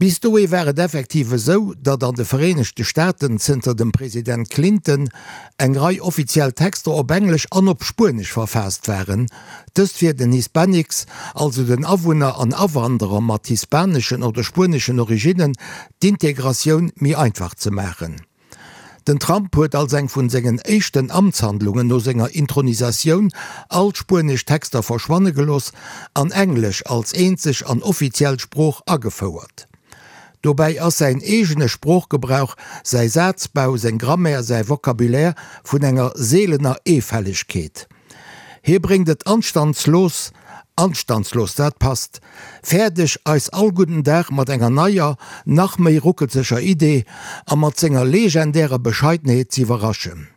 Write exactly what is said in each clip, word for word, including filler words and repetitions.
Bis dohi war et effektiv esou, datt an de Vereenegte Staaten zënter dem President Clinton eng Rei offiziell Texter op Englesch an op Spuenesch verfaasst waren, dëst fir den Hispanics, also den Awunner an Awanderer mat hispaneschen oder spueneschen Originnen, d'Integratioun méi einfach ze maachen. Den Trump huet als eng vun sengen éischten Amtshandlungen no senger Intronisatioun all d'spuenesch Texter verschwanne gelooss an Englesch als eenzeg an offiziell Sprooch agefouert. Dobäi ass säin eegene Sproochgebrauch, säi Sazbau, seng Grammaire, säi Vocabulaire vun enger seelener Eefällegkeet. Hie bréngt et anstandslos, anstandslos, dat passt, fäerdeg eis all gudden Dag mat enger neier, nach méi ruckelzeger Idee a mat senger legendärer Bescheidenheet z'iwwerraschen.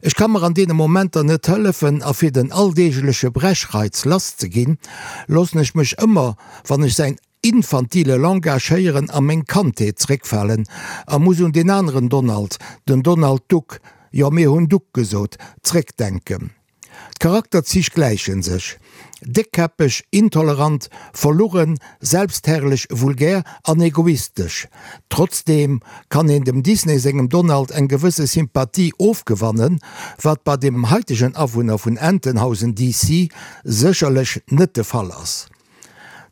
Ech ka mer an deene Momenter net hëllefen a fir den alldeegleche Brechreiz lass ze ginn, loossen ech mech ëmmer, wann ech säin infantile Langage héieren, a meng Kandheet zréckfalen a muss un deen aneren Donald, den Donald Duck, jo mir hunn Duck gesot, zréckdenken. D'Charakterzich gläiche sech, déckkäppeg, intolerant, verlugen, selbstherrlech, vulgär an egoistesch. Trotzdeem kann een dem Disney sengem Donald eng gewësse Sympathie ofgewannen, wat bei dem haitegen Awunner vun Entenhausen D C sécherlech net de Fall ass.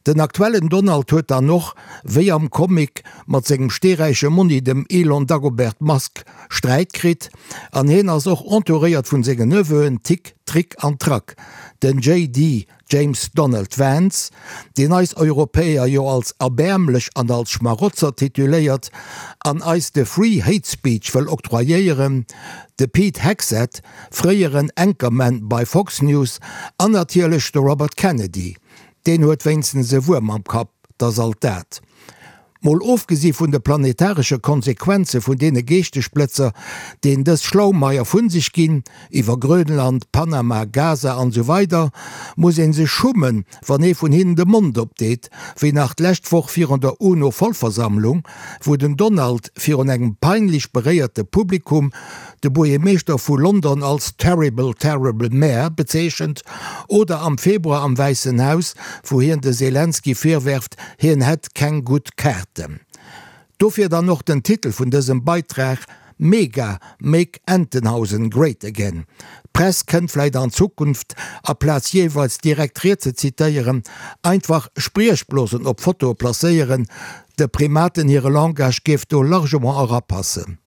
Den aktuellen Donald huet dann och, wéi am Comic, mat sengem steeräiche Monni dem Elon Dagobert Musk Sträit kritt an hien ass och entouréiert vun sengen Neveuen Tick, Trick an Track, den J D James Donald Vance, deen eis Europäer jo als erbäermlech an als Schmarotzer tituléiert an eis de Free Hate Speech wëll octroyéieren, de Pete Hegseth, fréieren Anchorman bei Fox News an natierlech de Robert Kennedy. Deen huet wéinstens e Wuerm am Kapp, 't ass alt dat. Mol ofgesi vun de planetaresche Konsequenze vun deene Geeschtesblëtzer, deen dës Schlaumeier vu sech ginn, iwwer Grönland, Panama, Gaza an esou weider, muss ee sech schummen, wann ee vun hinnen de Mond opdeet, wéi nach d'lescht Woch virun der UNO-Vollversammlung, wou den Donald virun engem peinlech beréierte Publikum de Buergermeeschter vu London als terrible, terrible mayor bezeechent, oder am Februar am Wäissen Haus, wou hien de Selenskyj virwerft, hien hätt keng gutt Kaarten. Dofir dann och den Titel vun dësem Beitrag, Mega, Make Entenhausen Great Again. D'Press kënnt vläit an Zukunft, aplaz jeeweils direkt Ried ze zitéieren, einfach Spriechblosen op Fotoe placéieren, de Primaten hire Langage géif do largement erapassen.